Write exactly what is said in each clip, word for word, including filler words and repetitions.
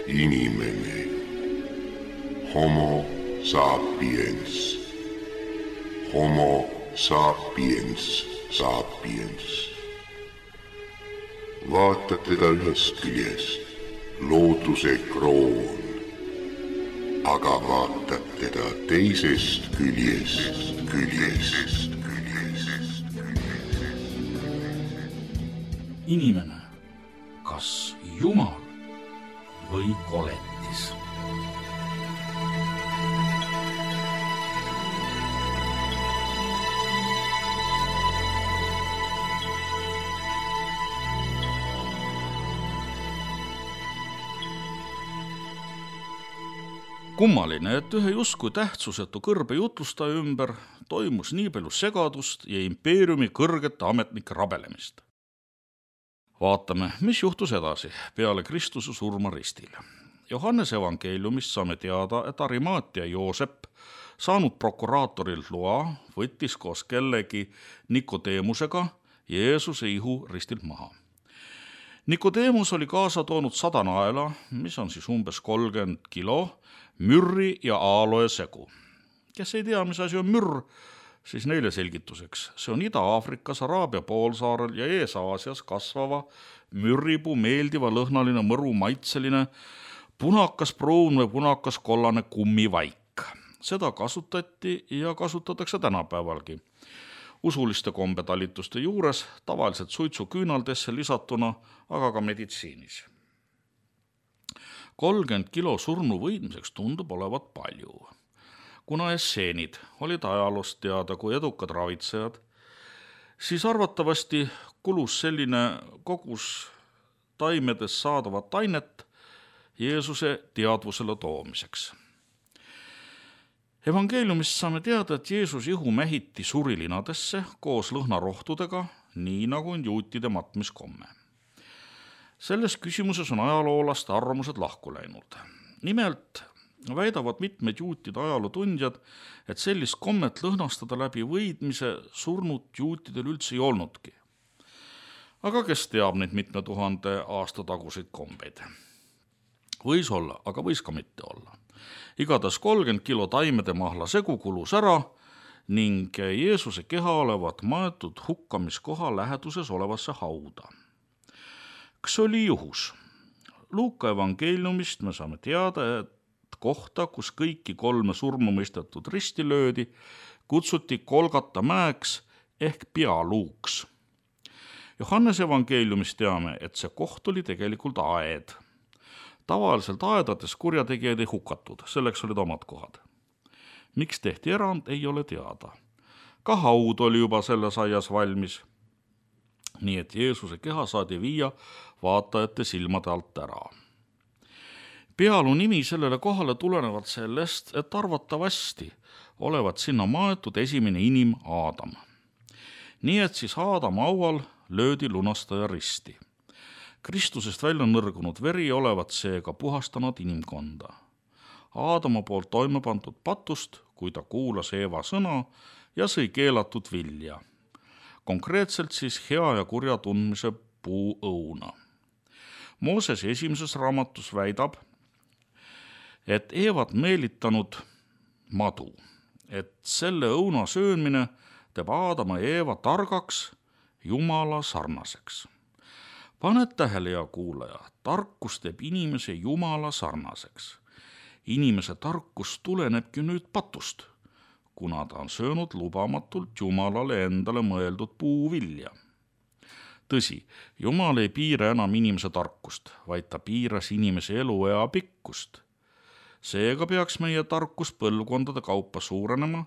inimene, homo sapiens, homo sapiens sapiens. Vaatad teda ühest küljest, looduse kroon, aga vaatad teda teisest küljest, küljest, küljest. Inimene, kas Jumal või koletis? Kummaline, et ühe justkui tähtsusetu kõrbe jutlustaja ümber toimus nii palju segadust ja impeeriumi kõrgete ametnike rabelemist. Vaatame, mis juhtus edasi peale Kristuse surma ristil. Johannese evangeeliumist saame teada, et Arimaatia Joosep, saanud prokuraatorilt loa, võttis koos kellegi Nikodeemusega Jeesuse ihu ristilt maha. Nikodeemus oli kaasa toonud sada naela, mis on siis umbes kolmkümmend kilo, mürri ja aaloe segu. Kes ei tea, mis asi on mürr, siis neile selgituseks. See on Ida-Aafrikas, Araabia poolsaarel ja Ees-Aasias kasvava mürripuu meeldiva lõhnaline mõru maitseline punakas pruun või punakas kollane kummivaik. Seda kasutati ja kasutatakse tänapäevalgi. Usuliste kombetalituste juures, tavaliselt suitsuküünaldesse lisatuna, aga ka meditsiinis. kolmkümmend kilo surnu võidmiseks tundub olevat palju. Kuna esseenid olid ajaloost teada kui edukad ravitsejad, siis arvatavasti kulus selline kogus taimedest saadavat ainet Jeesuse teadvusele toomiseks. Evangeeliumist saame teada, et Jeesus ihu mähiti surilinadesse koos lõhnarohtudega, nii nagu on juutide matmiskomme. Selles küsimuses on ajaloolaste arvamused lahku läinud. Nimelt väidavad mitmed juutide ajalootundjad, et sellist kommet lõhnastada läbi võidmise surnud juutidel üldse ei olnudki. Aga kes teab neid mitme tuhande aasta taguseid kombeid? Võis olla, aga võis ka mitte olla. Igatahes kolmkümmend kilo taimede mahla segu kulus ära ning Jeesuse keha olevat maetud hukkamiskoha läheduses olevasse hauda. Kas oli juhus? Luuka evangeeliumist me saame teada, et kohta, kus kõiki kolme surma mõistetud risti löödi, kutsuti Golgata mäeks ehk pealuuks. Johannes evangeeliumist teame, et see koht oli tegelikult aed. Tavaliselt aedades kurjategijaid ei hukatud, selleks olid omad kohad. Miks tehti erand, ei ole teada. Ka haud oli juba selles aias valmis. Nii et Jeesuse keha saadi viia vaatajate silmade alt ära. Pealu nimi sellele kohale tulenevad sellest, et arvatavasti olevat sinna maetud esimene inim Aadam. Nii et siis Aadama haual löödi lunastaja risti. Kristusest välja nõrgunud veri olevat seega puhastanud inimkonda. Aadama poolt toime pandud patust, kui ta kuulas Eeva sõna ja sõi keelatud vilja. Konkreetselt siis hea ja kurja tundmise puu õuna. Mooses esimeses raamatus väidab, et Eevat meelitanud madu, et selle õuna söömine teeb Aadama ja Eeva targaks, Jumala sarnaseks. Paned tähele, ja kuulaja, tarkus teeb inimese Jumala sarnaseks. Inimese tarkus tulenebki nüüd patust, kuna ta on söönud lubamatult Jumalale endale mõeldud puuvilja. Tõsi, Jumal ei piira enam inimese tarkust, vaid ta piiras inimese eluea pikkust. Seega peaks meie tarkus põlvkondade kaupa suurenema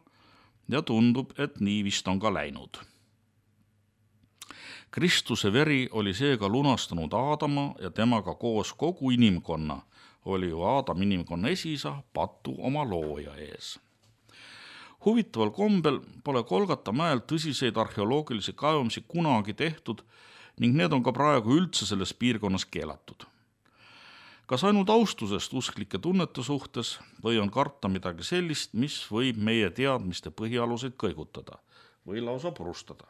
ja tundub, et nii vist on ka läinud. Kristuse veri oli seega lunastanud Aadama ja temaga koos kogu inimkonna, oli ju Aadam inimkonna esisa patu oma looja ees. Huvitaval kombel pole Golgata mäel tõsiseid arheoloogilisi kaevamisi kunagi tehtud ning need on ka praegu üldse selles piirkonnas keelatud. Kas ainult austusest usklike tunnete suhtes või on karta midagi sellist, mis võib meie teadmiste põhialuseid kõigutada või lausa purustada?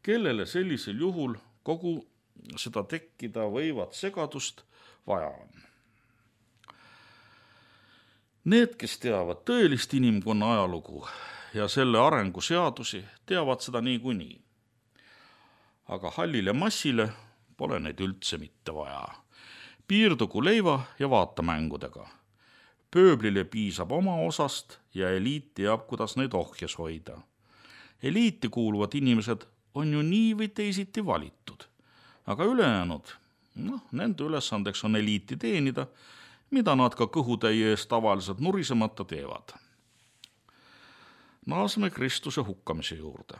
Kellele sellisel juhul kogu seda tekkida võivat segadust vaja on? Need, kes teavad tõelist inimkonna ajalugu ja selle arenguseadusi, teavad seda niikuinii. Aga hallile massile pole neid üldse mitte vaja. Piirdugu leiva ja vaatamängudega. Pööblile piisab oma osast ja eliit teab, kuidas neid ohjes hoida. Eliiti kuuluvad inimesed on ju nii või teisiti valitud, aga ülejäänud, noh, nende ülesandeks on eliiti teenida, mida nad ka kõhutäie eest tavaliselt nurisemata teevad. Naaseme Kristuse hukkamise juurde.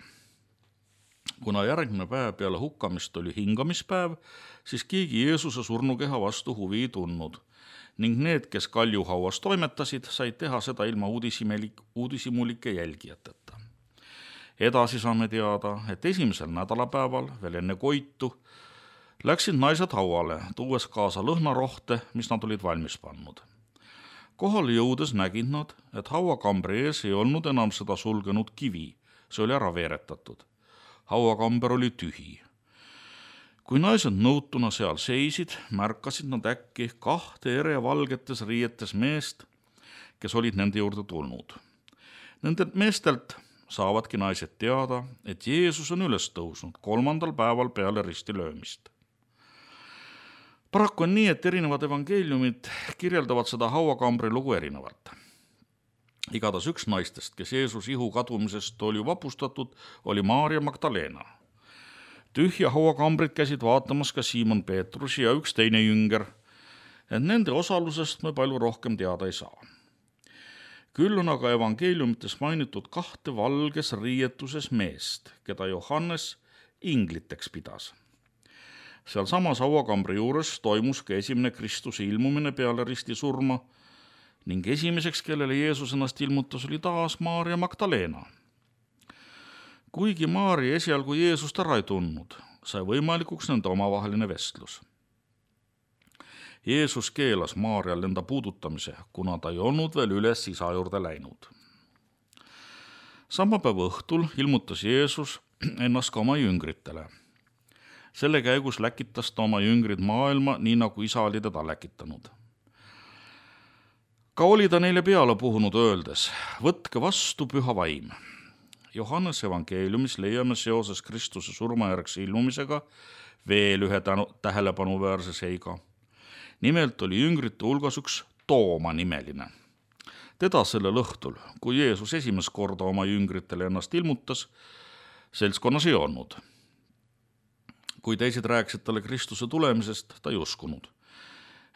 Kuna järgmine päev peale hukkamist oli hingamispäev, siis keegi Jeesuse surnukeha vastu huvi ei tundnud ning need, kes kaljuhauas toimetasid, said teha seda ilma uudishimulike jälgijateta. Edasi saame teada, et esimesel nädalapäeval, veel enne koitu, läksid naised hauale, tuues kaasa lõhnarohte, mis nad olid valmis pannud. Kohale jõudes nägid nad, et hauakambri ees ei olnud enam seda sulgenud kivi, see oli ära veeretatud. Hauakamber oli tühi. Kui naised nõutuna seal seisid, märkasid nad äkki kahte ere valgetes riietes meest, kes olid nende juurde tulnud. Nendelt meestelt saavadki naised teada, et Jeesus on üles tõusnud kolmandal päeval peale ristilöömist. Paraku on nii, et erinevad evangeeliumid kirjeldavad seda hauakambri lugu erinevalt. Igatahes üks naistest, kes Jeesus ihu kadumisest oli vapustatud, oli Maarja Magdalena. Tühja hauakambrit käisid vaatamas ka Siimon Peetrus ja üks teine jünger, et nende osalusest me palju rohkem teada ei saa. Küll on aga evangeeliumites mainitud kahte valges riietuses meest, keda Johannes ingliteks pidas. Seal samas hauakambri juures toimus ka esimene Kristuse ilmumine peale risti surma ning esimeseks, kellele Jeesus ennast ilmutas, oli taas Maarja Magdalena. Kuigi Maarja esialgu Jeesust ära ei tundnud, sai võimalikuks nende omavaheline vestlus. Jeesus keelas Maarjal enda puudutamise, kuna ta ei olnud veel üles isa juurde läinud. Sama päeva õhtul ilmutas Jeesus ennast ka oma jüngritele. Selle käigus läkitas ta oma jüngrid maailma, nii nagu isa oli teda läkitanud. Ka oli ta neile peale puhunud öeldes, võtke vastu püha vaim. Johannes evangeeliumis leiame seoses Kristuse surmajärgse ilmumisega veel ühe tähelepanuväärse seiga. Nimelt oli jüngrite hulgas üks Tooma nimeline. Teda sellel õhtul, kui Jeesus esimest korda oma jüngritele ennast ilmutas, seltskonnas ei olnud. Kui teised rääkisid talle Kristuse tulemisest, ta ei uskunud.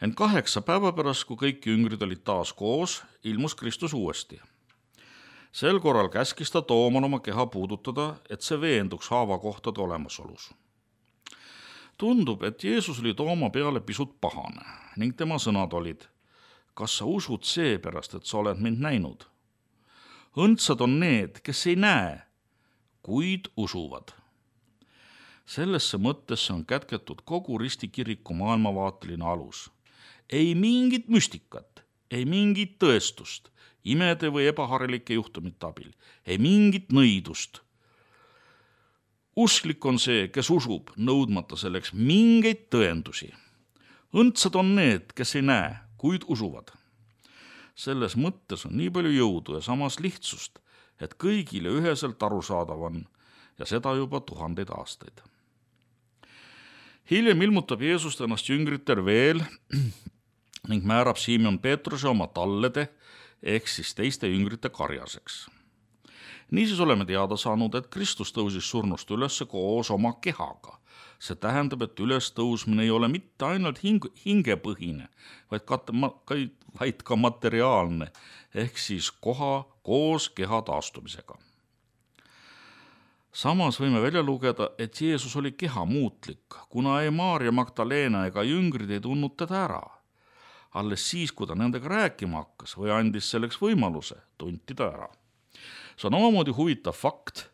Ent kaheksa päeva pärast, kui kõik jüngrid olid taas koos, ilmus Kristus uuesti. Sel korral käskis ta Tooman oma keha puudutada, et see veenduks haavakohtade olemasolus. Tundub, et Jeesus oli Tooma peale pisut pahane ning tema sõnad olid, kas sa usud seepärast, et sa oled mind näinud? Õndsad on need, kes ei näe, kuid usuvad. Sellesse mõttesse on kätketud kogu ristikiriku maailmavaateline alus. Ei mingit müstikat, ei mingit tõestust, imede või ebaharilike juhtumite abil, ei mingit nõidust. Usklik on see, kes usub, nõudmata selleks mingeid tõendusi. Õndsad on need, kes ei näe, kuid usuvad. Selles mõttes on nii palju jõudu ja samas lihtsust, et kõigile üheselt arusaadav on ja seda juba tuhandeid aastaid. Hiljem ilmutab Jeesust ennast jüngritel veel ning määrab Siimon Peetruse oma tallede ehk siis teiste jüngrite karjaseks. Niisiis oleme teada saanud, et Kristus tõusis surnust üles koos oma kehaga. See tähendab, et ülestõusmine ei ole mitte ainult hing- hingepõhine, vaid ka, vaid ka materiaalne ehk siis koha koos keha taastumisega. Samas võime välja lugeda, et Jeesus oli keha muutlik, kuna ei Maarja Magdalena ega jüngrid ei tundnud teda ära. Alles siis, kui ta nendega rääkima hakkas või andis selleks võimaluse, tunti ta ära. See on omamoodi huvitav fakt,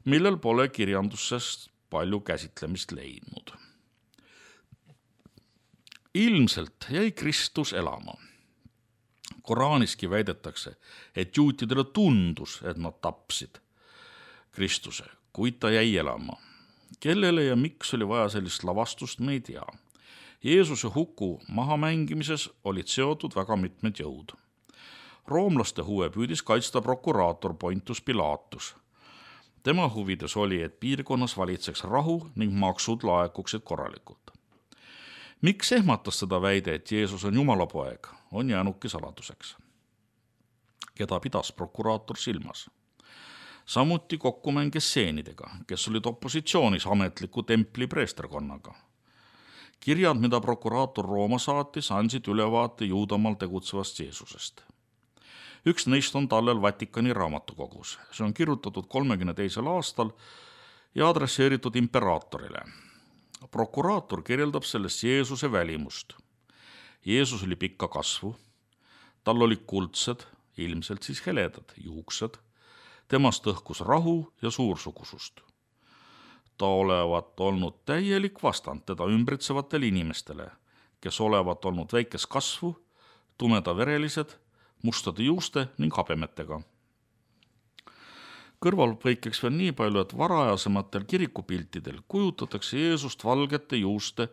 millel pole kirjandusest palju käsitlemist leidnud. Ilmselt jäi Kristus elama. Koraaniski väidetakse, et juutidele tundus, et nad tapsid Kristuse, kuid ta jäi elama. Kellele ja miks oli vaja sellist lavastust, me ei tea. Jeesuse huku mahamengimises olid seotud väga mitmed jõud. Roomlaste huve püüdis kaitsta prokuraator Pontius Pilatus. Tema huvides oli, et piirkonnas valitseks rahu ning maksud laekuksid korralikult. Miks ehmatas seda väide, et Jeesus on Jumala poeg, on jäänudki saladuseks. Keda pidas prokuraator silmas? Samuti kokkumäng esseenidega, kes olid opositsioonis ametliku templi preesterkonnaga. Kirjad, mida prokuraator Rooma saatis, andsid ülevaate Juudamaal tegutsevast Jeesusest. Üks neist on tallel Vatikani raamatukogus. See on kirjutatud kolmekümne teisel aastal ja adresseeritud imperaatorile. Prokuraator kirjeldab sellest Jeesuse välimust. Jeesus oli pikka kasvu, tal oli kuldsed, ilmselt siis heledad juuksed, temast õhkus rahu ja suursugusust. Ta olevat olnud täielik vastand teda ümbritsevatele inimestele, kes olevat olnud väikes kasvu, tumedaverelised, mustade juuste ning habemetega. Kõrvalpõikeks veel nii palju, et varajasematel kirikupiltidel kujutatakse Jeesust valgete juuste,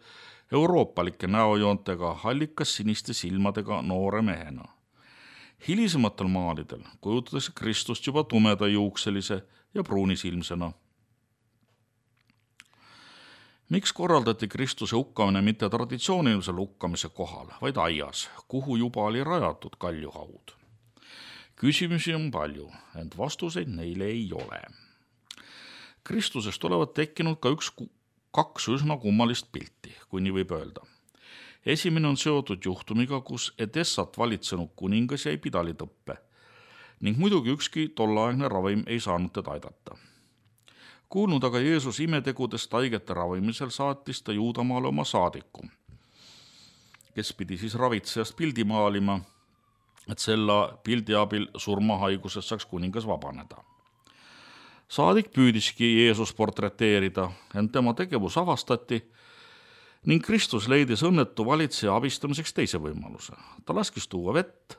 euroopalike näojoontega, hallikas siniste silmadega noore mehena. Hilisematel maalidel kujutatakse Kristust juba tumeda juukselise ja pruunisilmsena. Miks korraldati Kristuse hukkamine mitte traditsioonilisel hukkamise kohal, vaid aias, kuhu juba oli rajatud kaljuhaud? Küsimusi on palju, ent vastuseid neile ei ole. Kristusest olevat tekkinud ka üks, kaks üsna kummalist pilti, kui nii võib öelda. Esimene on seotud juhtumiga, kus Edessat valitsenud kuningas jäi pidalitõppe ning muidugi ükski tollaegne ravim ei saanud teda aidata. Kuulnud aga Jeesus imetegudest haigete ravimisel saatis ta Juudamaale oma saadiku, kes pidi siis ravitsejast pildi maalima, et selle pildi abil surmahaigusest saaks kuningas vabaneda. Saadik püüdiski Jeesus portreteerida, ent tema tegevus avastati ning Kristus leidis õnnetu valitseja abistamiseks teise võimaluse. Ta laskis tuua vett,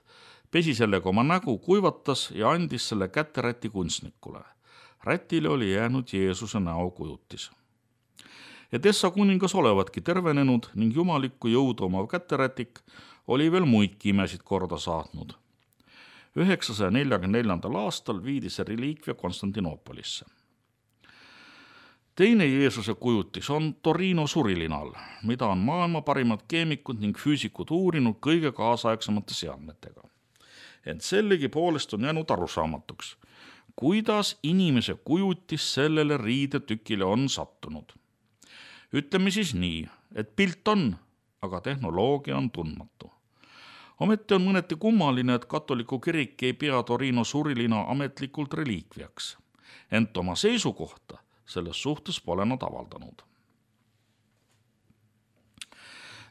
pesi sellega oma nägu, kuivatas ja andis selle kätte räti kunstnikule. Rätile oli jäänud Jeesuse näokujutis. Edessa kuningas olevatki tervenenud ning jumalikku jõudu omav käterätik oli veel muidki imesid korda saatnud. üheksasaja neljakümne neljandal aastal viidi see reliikvia Konstantinoopolisse. Teine Jeesuse kujutis on Torino surilinal, mida on maailma parimad keemikud ning füüsikud uurinud kõige kaasaegsemate seadmetega. Ent sellegi poolest on jäänud arusaamatuks, kuidas inimese kujutis sellele riidetükile on sattunud. Ütleme siis nii, et pilt on, aga tehnoloogia on tundmatu. Ometi on mõneti kummaline, et katoliku kirik ei pea Torino surilina ametlikult reliikviaks, ent oma seisukohta selles suhtes pole nad avaldanud.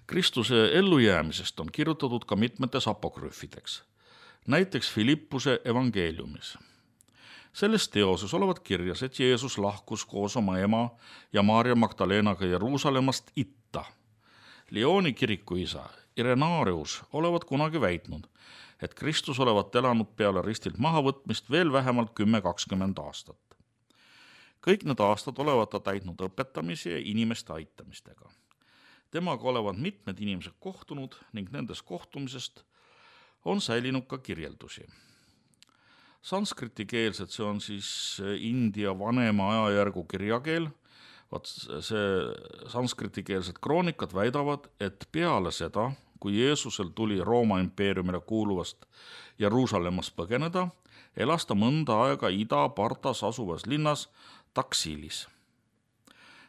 Kristuse ellujäämisest on kirjutatud ka mitmetes apokrüfideks, näiteks Filippuse evangeeliumis. Selles teoses olevat kirjas, et Jeesus lahkus koos oma ema ja Maarja Magdalenaga Jeruusalemmast itta. Lyoni kirikuisa Irenaarius olevat kunagi väitnud, et Kristus olevat elanud peale ristilt mahavõtmist veel vähemalt kümme kakskümmend aastat. Kõik need aastad olevat ta täitnud õpetamise ja inimeste aitamistega. Temaga olevat mitmed inimesed kohtunud ning nendest kohtumisest on säilinud ka kirjeldusi. Sanskriti-keelsed, see on siis India vanema ajajärgu kirjakeel, vaat see sanskriti-keelsed kroonikad väidavad, et peale seda, kui Jeesusel tuli Rooma impeeriumile kuuluvast Jeruusalemmast põgeneda, elas ta mõnda aega ida-partas asuvas linnas Taksilis.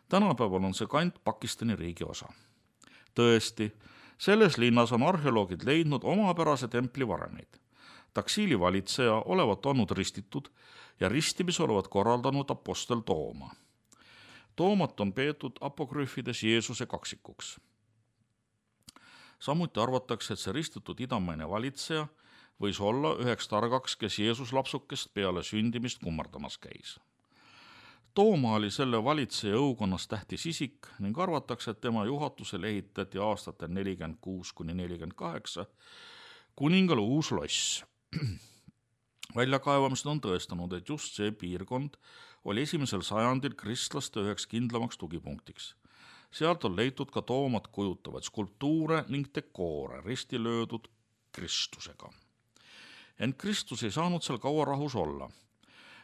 Tänapäeval on see kant Pakistani riigi osa. Tõesti, selles linnas on arheoloogid leidnud omapärase templi varemeid. Taksili valitseja olevat olnud ristitud ja ristimis olevat korraldanud apostel Tooma. Toomat on peetud apokrüfides Jeesuse kaksikuks. Samuti arvatakse, et see ristitud idamaine valitseja võis olla üheks targaks, kes Jeesus lapsukest peale sündimist kummardamas käis. Tooma oli selle valitseja õukonnas tähtis isik ning arvatakse, et tema juhatusel ehitati aastatel nelikümmend kuus kuni nelikümmend kaheksa kuningale uus loss. Väljakaevamised on tõestanud, et just see piirkond oli esimesel sajandil kristlaste üheks kindlamaks tugipunktiks. Sealt on leitud ka Toomat kujutavad skulptuure ning dekoore risti löödud Kristusega. Ent Kristus ei saanud seal kaua rahus olla.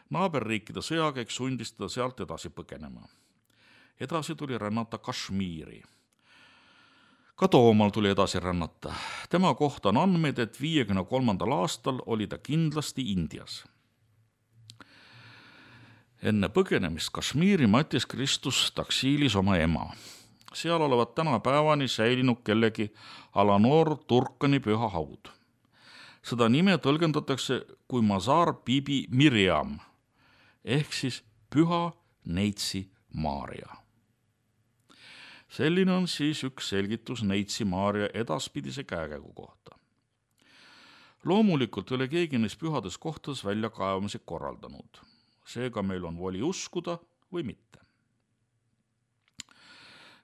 Naaberriikide sõjakäik sundis teda sealt edasi põgenema. Edasi tuli rännata Kashmiri. Ka Toomal tuli edasi rännata. Tema kohta on andmeid, et viiekümne kolmandal aastal oli ta kindlasti Indias. Enne põgenemist Kashmiri matis Kristus Taksiilis oma ema. Seal olevat täna päevani säilinud kellegi Alanor Turkani püha haud. Seda nime tõlgendatakse kui Mazar Bibi Miriam ehk siis püha neitsi Maaria. Selline on siis üks selgitus neitsi Maaria edaspidise käekäigu kohta. Loomulikult ei ole keegi neist pühades kohtades väljakaevamisi korraldanud. Seega meil on voli uskuda või mitte.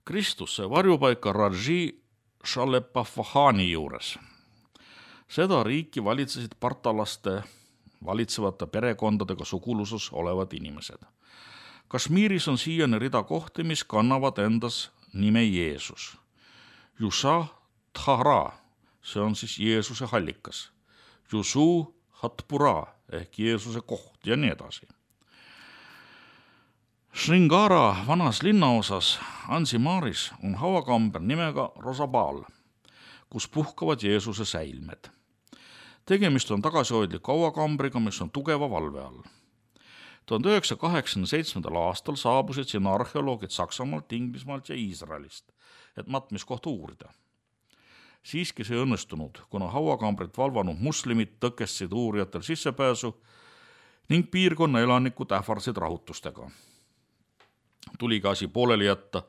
Kristus sai varjupaika Raji Shalepafahani juures. Seda riiki valitsesid partalaste valitsevate perekondadega suguluses olevad inimesed. Kashmiris on siiani rida kohti, mis kannavad endas nime Jeesus. Jusa Thara, see on siis Jeesuse hallikas. Jusu Hatpura ehk Jeesuse koht ja nii edasi. Shringara vanas linnaosas Ansimaaris on hauakamber nimega Rosabal, kus puhkavad Jeesuse säilmed. Tegemist on tagasihoidliku hauakambriga, mis on tugeva valve all. tuhande üheksasaja kaheksakümne seitsmendal aastal saabusid siin arheoloogid Saksamaalt, Inglismaalt ja Iisraelist, et matmiskohta uurida. Siiski see õnnestunud, kuna hauakambrit valvanud muslimid tõkestasid uurijatel sissepääsu ning piirkonna elanikud ähvardasid rahutustega. Tuli ka asi pooleli jätta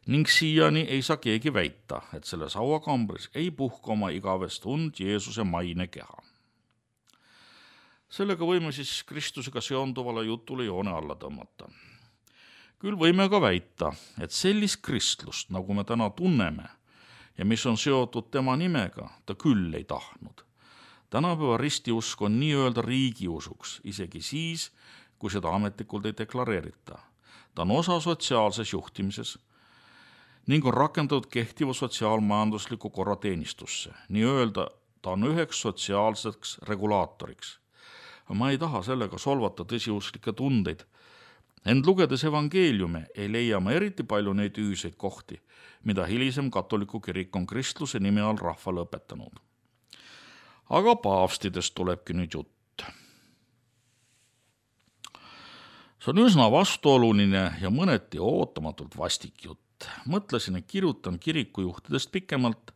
ning siiani ei saa keegi väita, et selles hauakambris ei puhka oma igavest und Jeesuse maine keha. Sellega võime siis Kristusega seonduvale jutule joone alla tõmmata. Küll võime ka väita, et sellist kristlust, nagu me täna tunneme ja mis on seotud tema nimega, ta küll ei tahtnud. Tänapäeva ristiusk on nii-öelda riigiusuks, isegi siis, kui seda ametlikult ei deklareerita. Ta on osa sotsiaalses juhtimises ning on rakendatud kehtiva sotsiaalmajandusliku korra teenistusse. Nii-öelda ta on üheks sotsiaalseks regulaatoriks. Ma ei taha sellega solvata tõsiusklikke tundeid. Ent lugedes evangeeliume ei leia ma eriti palju neid ühiseid kohti, mida hilisem katoliku kirik on kristluse nime all rahvale õpetanud. Aga paavstidest tulebki nüüd jutt. See on üsna vastuoluline ja mõneti ootamatult vastik jutt. Mõtlesin, et kirjutan kirikujuhtidest pikemalt,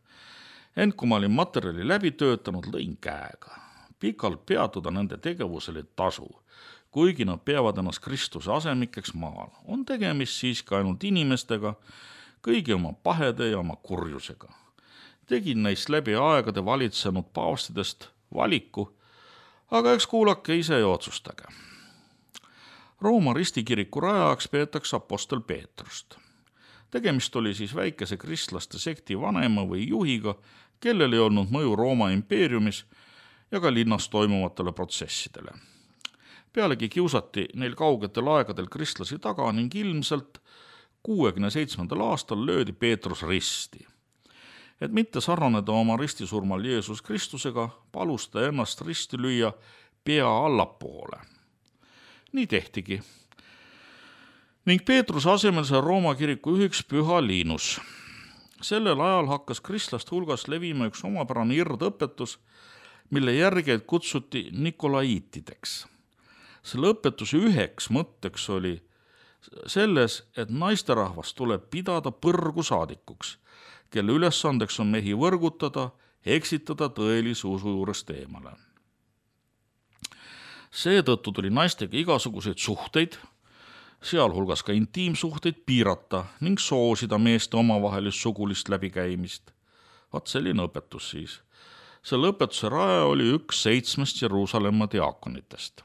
ent kui ma olin materjali läbi töötanud, lõin käega. Pikalt peatuda nende tegevusele tasu, kuigi nad peavad ennast Kristuse asemikeks maal. On tegemist siiski ainult inimestega, kõigi oma pahede ja oma kurjusega. Tegin neist läbi aegade valitsenud paavstidest valiku, aga eks kuulake ise ja otsustage. Rooma ristikiriku rajajaks peetakse apostel Peetrust. Tegemist oli siis väikese kristlaste sekti vanema või juhiga, kellel ei olnud mõju Rooma impeeriumis ja ka linnas toimuvatele protsessidele. Pealegi kiusati neil kaugetel aegadel kristlasi taga ning ilmselt kuuekümne seitsmendal aastal löödi Peetrus risti. Et mitte sarnaneda oma ristisurmal Jeesus Kristusega, palus ta ennast risti lüüa pea allapoole. Nii tehtigi. Ning Peetruse asemel sai Rooma kiriku ühiks püha Liinus. Sellel ajal hakkas kristlaste hulgas levima üks omapärane irdõpetus, mille järgeid kutsuti Nikolaiitideks. Selle õpetuse üheks mõtteks oli selles, et naisterahvas tuleb pidada põrgu saadikuks, kelle ülesandeks on mehi võrgutada, eksitada tõelise usu juurest eemale. Seetõttu tuli naistega igasuguseid suhteid, sealhulgas ka intiimsuhteid piirata ning soosida meeste omavahelist sugulist läbikäimist. Vaat selline õpetus siis. Selle õpetuse raja oli üks seitsmest Jeruusalemma diaakonitest.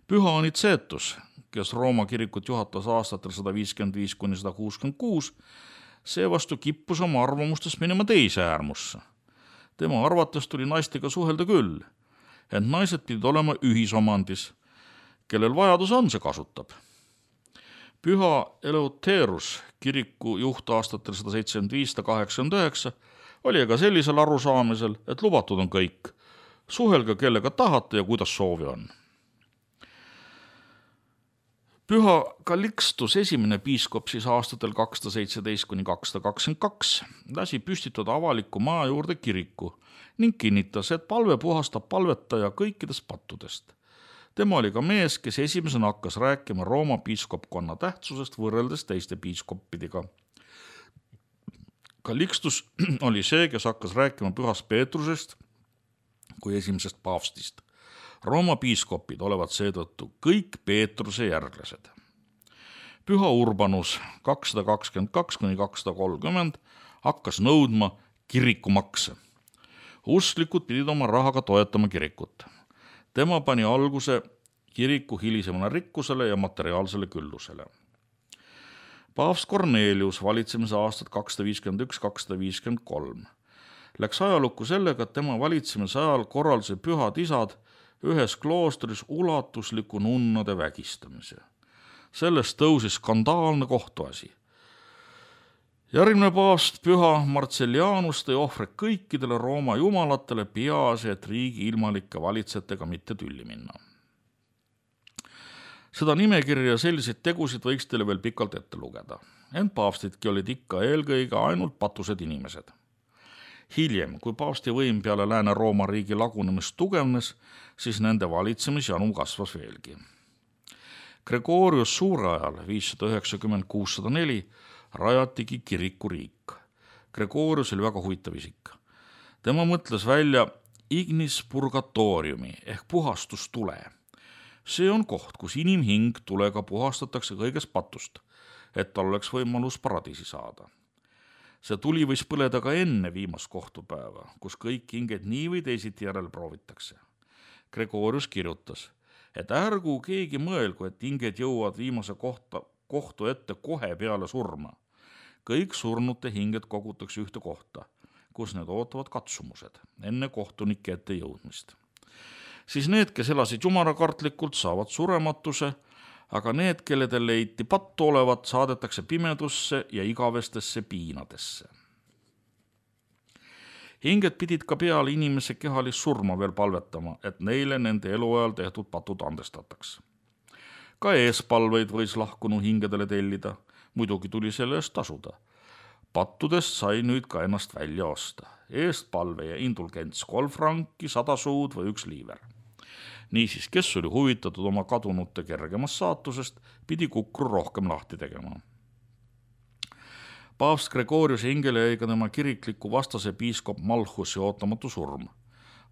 Püha Anicetus, kes Rooma kirikut juhatas aastatel sada viiskümmend viis kuni sada kuuskümmend kuus, seevastu kippus oma arvamustest minema teise äärmusse. Tema arvates tuli naistega suhelda küll, ent naised pidid olema ühisomandis, kellel vajadus on, see kasutab. Püha Eleuterus, kiriku juht aastatel sada seitsekümmend viis kuni kaheksakümmend üheksa, oli aga sellisel arusaamisel, et lubatud on kõik, Suhelge kellega tahate ja kuidas soovi on. Püha Kalikstus esimene piiskop siis aastatel kakssada seitseteist kuni kakssada kakskümmend kaks lasi püstitada avaliku maa juurde kiriku ning kinnitas, et palve puhastab palvetaja kõikidest pattudest. Tema oli ka mees, kes esimesena hakkas rääkima Rooma piiskopkonna tähtsusest võrreldes teiste piiskoppidega. Kalikstus oli see, kes hakkas rääkima pühast Peetrusest kui esimesest paavstist. Rooma piiskopid olevat seetõttu kõik Peetruse järglased. Püha Urbanus kakssada kakskümmend kaks kuni kakssada kolmkümmend hakkas nõudma kirikumakse. Usklikud pidid oma rahaga toetama kirikut. Tema pani alguse kiriku hilisemana rikkusele ja materiaalsele küllusele. Paavst Kornelius valitsemise aastat kakssada viiskümmend üks kakssada viiskümmend kolm läks ajalukku sellega, et tema valitsemise ajal korralduse pühad isad ühes kloostris ulatusliku nunnade vägistamise. Sellest tõusis skandaalne kohtuasi. Järgmine paavst püha Marcellianus tõi ohvred kõikidele Rooma jumalatele, peaasi, et riigi ilmalike valitsejatega mitte tülli minna. Seda nimekirja ja selliseid tegusid võiks teile veel pikalt ette lugeda. Ent paavstidki olid ikka eelkõige ainult patused inimesed. Hiljem, kui paavsti võim peale Lääne-Rooma riigi lagunemist tugevnes, siis nende valitsemisjanu kasvas veelgi. Gregorius Suure ajal viissada üheksakümmend kuussada neli rajatigi kirikuriik. Gregorius oli väga huvitav isik. Tema mõtles välja ignis purgatoriumi ehk puhastustule. See on koht, kus inimhing tulega puhastatakse kõigest patust, et tal oleks võimalus paradiisi saada. See tuli võis põleda ka enne viimast kohtupäeva, kus kõik hinged nii või teisiti järel proovitakse. Gregorius kirjutas, et ärgu keegi mõelgu, et hinged jõuavad viimase kohta, kohtu ette kohe peale surma. Kõik surnute hinged kogutakse ühte kohta, kus need ootavad katsumused enne kohtunike ette jõudmist. Siis need, kes elasid jumalakartlikult, saavad surematuse, aga need, kelledel leiti pattu olevat, saadetakse pimedusse ja igavestesse piinadesse. Hinged pidid ka peale inimese kehalist surma veel palvetama, et neile nende eluajal tehtud patud andestataks. Ka eespalveid võis lahkunu hingedele tellida, muidugi tuli selle eest tasuda. Pattudest sai nüüd ka ennast välja osta. Eestpalve ja indulgents kolm franki, sada suud või üks liiver. Niisiis, kes oli huvitatud oma kadunute kergemast saatusest, pidi kukru rohkem lahti tegema. Paavst Gregorius hingele jäi ka tema kirikliku vastase piiskop Malchusi ootamatu surm.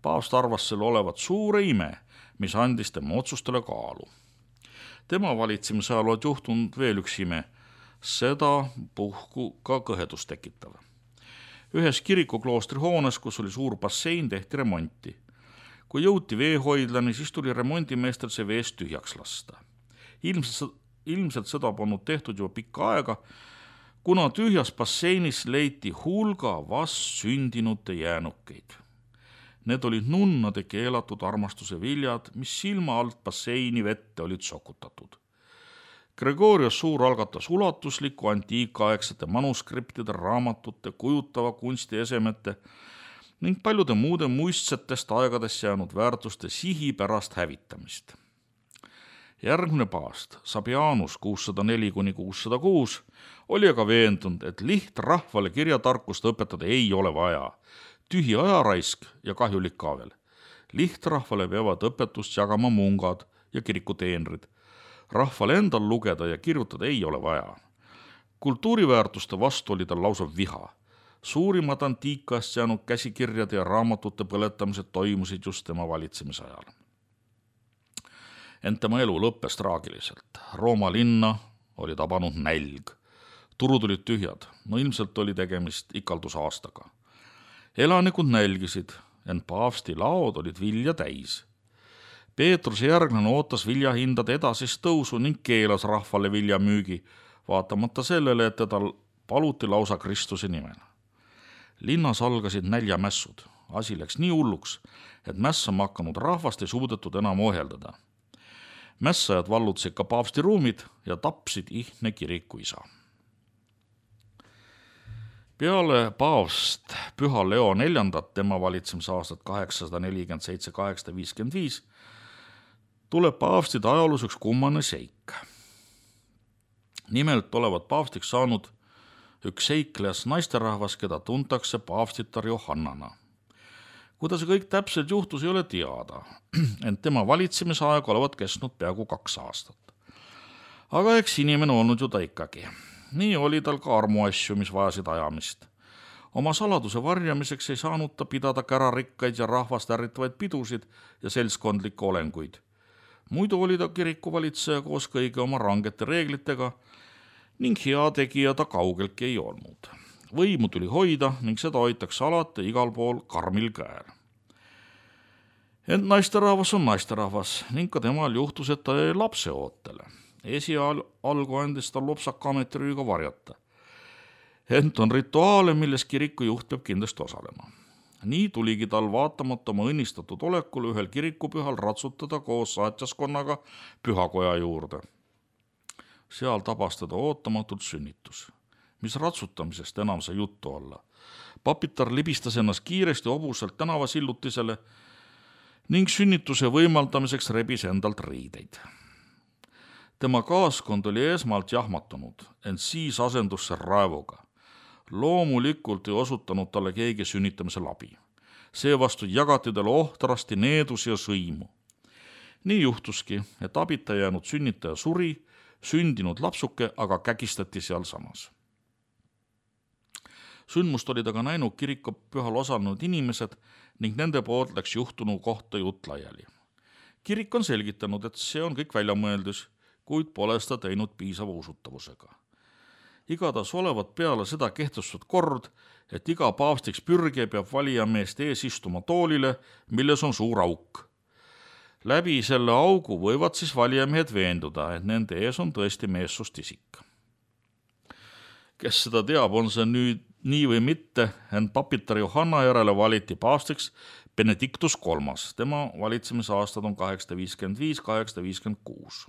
Paavst arvas selle olevat suure ime, mis andis tema otsustele kaalu. Tema valitsemise ajal oli juhtunud veel üks ime, seda puhku ka kõhedust tekitav. Ühes kirikukloostri hoones, kus oli suur bassein, tehti remonti. Kui jõuti veehoidlani, siis tuli remondimeestel see veest tühjaks lasta. Ilmselt, ilmselt seda polnud tehtud juba pikka aega, kuna tühjas basseinis leiti hulga vast sündinute jäänukeid. Need olid nunnade keelatud armastuse viljad, mis silma alt basseini vette olid sokutatud. Gregorius Suur algatas ulatusliku antiikaegsete manuskriptide, raamatute, kujutava kunstiesemete ning paljude muude muistsetest aegadest jäänud väärtuste sihipärast hävitamist. Järgmine paavst, Sabianus kuussada neli kuni kuussada kuus, oli aga veendunud, et lihtrahvale kirjatarkust õpetada ei ole vaja. Tühi ajaraisk ja kahjulik ka veel. Lihtrahvale peavad õpetust jagama mungad ja kirikuteenrid. Rahvale endal lugeda ja kirjutada ei ole vaja. Kultuuriväärtuste vastu oli tal lausa viha. Suurimad antiikast jäänud käsikirjade ja raamatute põletamised toimusid just tema valitsemise ajal. Ent tema elu lõppes traagiliselt. Rooma linna oli tabanud nälg. Turud olid tühjad, no ilmselt oli tegemist ikaldusaastaga. Elanikud nälgisid, ent paavsti laod olid vilja täis. Peetruse järglane ootas viljahindade edasist tõusu ning keelas rahvale viljamüügi, vaatamata sellele, et teda paluti lausa Kristuse nimel. Linnas algasid näljamässud. Asi läks nii hulluks, et mässama hakanud rahvast ei suudetud enam ohjeldada. Mässajad vallutasid ka paavsti ruumid ja tapsid ihne kiriku isa. Peale paavst Püha Leo neljandat, tema valitsemise aastat kaheksasada nelikümmend seitse kuni kaheksasada viiskümmend viis, tuleb paavstide ajaloos üks kummane seik. Nimelt olevat paavstiks saanud üks seiklejas naisterahvas, keda tuntakse paavstitar Johannana. Kuidas see kõik täpselt juhtus, ei ole teada, ent tema valitsemise aeg olevat kestnud peaaegu kaks aastat. Aga eks inimene olnud ju ta ikkagi. Nii oli tal ka armuasju, mis vajasid ajamist. Oma saladuse varjamiseks ei saanud ta pidada kärarikkaid ja rahvast ärritavaid pidusid ja seltskondlikke olenguid. Muidu oli ta kirikuvalitseja koos kõigi oma rangete reeglitega ning hea tegija ta kaugeltki ei olnud. Võimu tuli hoida ning seda hoitakse alati igal pool karmil käel. Ent naisterahvas on naisterahvas ning ka temal juhtus, et ta jäi lapse ootele. Esialgu andis ta lopsaka ametirüüga varjata. Ent on rituaale, milles kiriku juht peab kindlasti osalema. Nii tuligi tal vaatamata oma õnnistatud olekul ühel kirikupühal ratsutada koos saatjaskonnaga pühakoja juurde. Seal tabas teda ootamatult sünnitus. Mis ratsutamisest enam sai juttu olla. Papitar libistas ennast kiiresti hobusalt tänavasillutisele ning sünnituse võimaldamiseks rebis endalt riideid. Tema kaaskond oli esmalt jahmatunud, ent siis asendus see raevuga. Loomulikult ei osutanud talle keegi sünnitamise labi. Seevastu jagati talle ohtrasti needus ja sõimu. Nii juhtuski, et abita jäänud sünnitaja suri, sündinud lapsuke aga kägistati seal samas. Sündmust olid aga näinud kirikupühal osanud inimesed ning nende poolt läks juhtunu kohta jutt laiali. Kirik on selgitanud, et see on kõik väljamõeldus, kuid pole seda teinud piisava usutavusega. Igatahes olevat peale seda kehtestatud kord, et iga paavstiks pürge peab valijameest ees istuma toolile, milles on suur auk. Läbi selle augu võivad siis valijamehed veenduda, et nende ees on tõesti meessust isik. Kes seda teab, on see nüüd nii või mitte, ent papitar Johanna järele valiti paavstiks Benedictus kolmas. Tema valitsemise aastad on kaheksasada viiskümmend viis kuni kaheksasada viiskümmend kuus.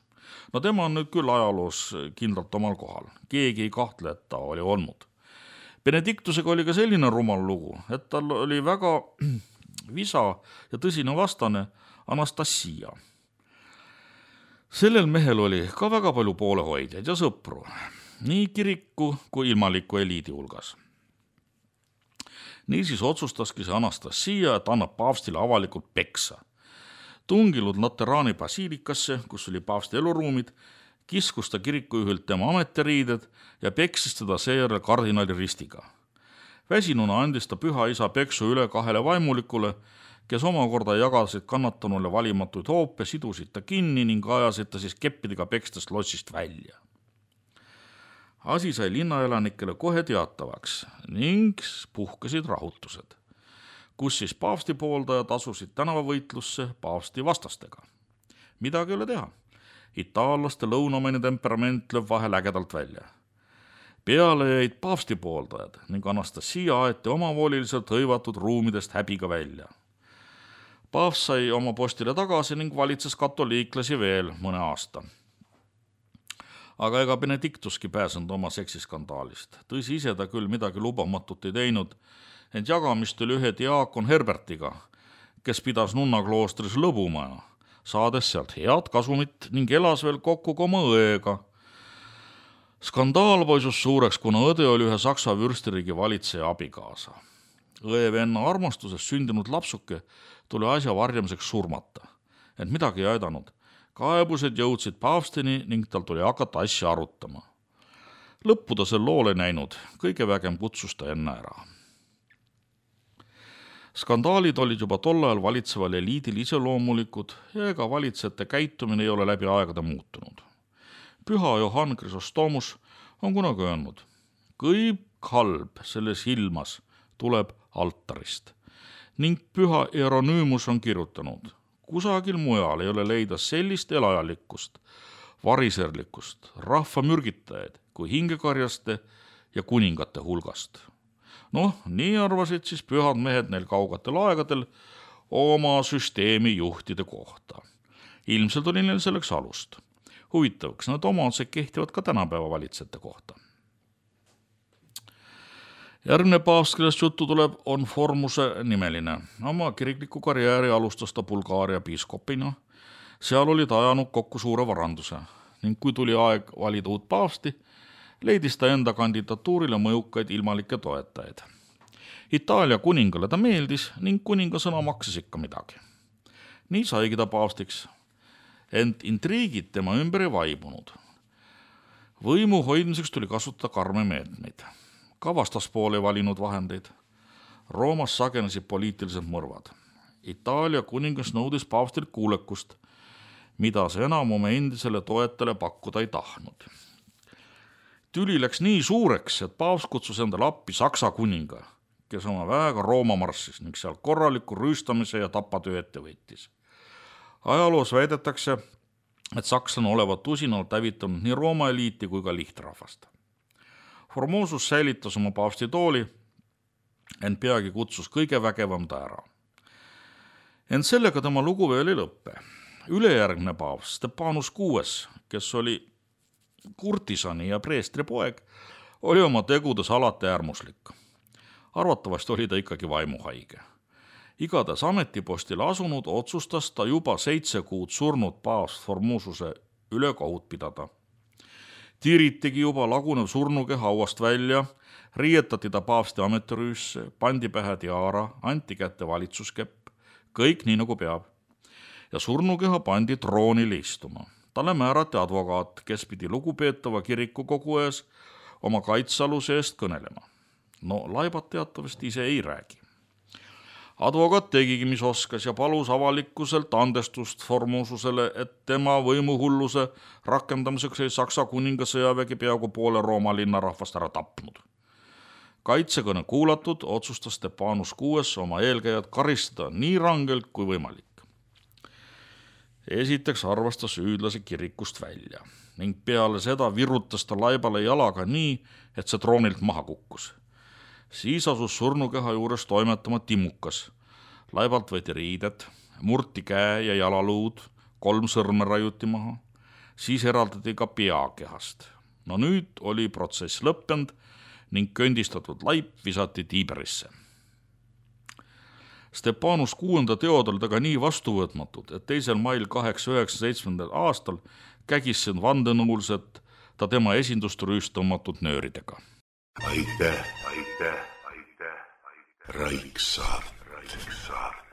No tema on nüüd küll ajaloos kindlalt omal kohal. Keegi ei kahtle, et ta oli olnud. Benedictusega oli ka selline rumal lugu, et tal oli väga visa ja tõsine vastane Anastasia. Sellel mehel oli ka väga palju poolehoidjaid ja sõpru, nii kiriku kui ilmaliku eliidi hulgas. Niisiis otsustaski see Anastasia, et annab paavstile avalikult peksa. Tungilud Lateraani basiilikasse, kus oli paavsti eluruumid, kiskus ta kirikujuhilt tema ametiriided ja peksis teda seejärel kardinali ristiga. Väsinuna andis ta püha isa peksu üle kahele vaimulikule, kes omakorda jagasid kannatanule valimatuid hoope, sidusid ta kinni ning ajasid ta siis keppidega pekstest lotsist välja. Asi sai linnaelanikele kohe teatavaks ning puhkesid rahutused, kus siis paavsti pooldajad asusid tänavavõitlusse paavsti vastastega. Midagi ei ole teha. Itaallaste lõunamine temperament lööb vahel ägedalt välja. Peale jäid paavsti pooldajad ning Anastasia aeti omavooliliselt hõivatud ruumidest häbiga välja. Paavst sai oma postile tagasi ning valitses katoliiklasi veel mõne aasta. Aga ega Benedictuski pääsenud oma seksiskandaalist. Tõsi ise ta küll midagi lubamatut ei teinud, ent jagamist oli ühe diaakon Herbertiga, kes pidas nunnakloostris lõbumaja, saades sealt head kasumit ning elas veel kokku ka oma õega. Skandaal poisus suureks, kuna õde oli ühe Saksa vürstiriigi valitseja abikaasa. Õe venna armastuses sündinud lapsuke tuli asja varjamiseks surmata, ent midagi ei aidanud. Kaebused jõudsid paavstini ning tal tuli hakata asja arutama. Lõppu ta sel loole näinud, kõige vägem kutsus ta enne ära. Skandaalid olid juba tol ajal valitseval eliidil iseloomulikud ja ega valitsejate käitumine ei ole läbi aegade muutunud. Püha Johann Chrysostomus on kunagi öelnud, kõik halb selles ilmas tuleb altarist ning püha Hieronüümus on kirjutanud, kusagil mujal ei ole leida sellist elajalikkust, variserlikkust, rahva mürgitajaid kui hingekarjaste ja kuningate hulgast. Noh, nii arvasid siis pühad mehed neil kaugatel aegadel oma süsteemi juhtide kohta. Ilmselt oli neil selleks alust. Huvitavaks, need omadused kehtivad ka tänapäeva valitsejate kohta. Järgmine paavst, kellest juttu tuleb, on Formuse nimeline. Oma kirikliku karjääri alustas ta Bulgaaria piiskopina. Seal oli ta ajanud kokku suure varanduse ning kui tuli aeg valida uut paavsti, leidis ta enda kandidatuurile mõjukaid ilmalikke toetajaid. Itaalia kuningale ta meeldis ning kuninga sõna maksis ikka midagi. Nii saigi ta paavstiks, ent intriigid tema ümber ei vaibunud. Võimu hoidmiseks tuli kasutada karme meetmeid. Ka vastaspool ei valinud vahendeid. Roomas sagenesid poliitilised mõrvad. Itaalia kuningas nõudis paavstilt kuulekust, mida see enam oma endisele toetale pakkuda ei tahtnud. Tüli läks nii suureks, et paavst kutsus endale appi Saksa kuninga, kes oma väega Rooma marssis ning seal korraliku rüüstamise ja tapatöö ette võttis. Ajaloos väidetakse, et sakslane olevat usinalt hävitanud nii Rooma eliiti kui ka lihtrahvast. Formosus säilitas oma paavsti tooli, ent peagi kutsus kõige vägevam ta ära. Ent sellega tema lugu veel ei lõppe. Ülejärgne paavst Stepanus kuues, kes oli kurtisani ja preestri poeg, oli oma tegudes alati äärmuslik. Arvatavasti oli ta ikkagi vaimuhaige. Igatahes ametipostile asunud otsustas ta juba seitse kuud surnud paavst Formosuse üle kohut pidada. Tiiritigi juba lagunev surnukeha hauast välja, riietati ta paavsti ametirüüsse, pandi pähe tiara, anti kätte valitsuskepp, kõik nii nagu peab. Ja surnukeha pandi troonile istuma. Talle määrati advokaat, kes pidi lugupeetava kirikukogu ees oma kaitsealuse eest kõnelema. No laibat teatavasti ise ei räägi. Advokaat tegigi, mis oskas ja palus avalikkuselt andestust Formosusele, et tema võimuhulluse rakendamiseks ei Saksa kuninga sõjavägi peaaegu poole Rooma linnarahvast ära tapnud. Kaitsekõne kuulatud otsustas Stepanus kuues oma eelkäijad karistada nii rangelt kui võimalik. Esiteks arvas ta süüdlase kirikust välja ning peale seda virutas ta laibale jalaga nii, et see troonilt maha kukkus. Siis asus surnukeha juures toimetama timukas. Laibalt võeti riided, murti käe ja jalaluud, kolm sõrme rajuti maha, siis eraldati ka peakehast. No nüüd oli protsess lõppenud ning kõndistatud laip visati Tiiberisse. Stepanus kuuenda teod oli taga nii vastuvõtmatud, et teisel mail kaheksa üheksa seitsmendal aastal kägisid vandenõulised ta tema esindust rüüstamatud nööridega. Aitäh, aitäh, aitäh, aitäh. Raiksaart, Raiksaart.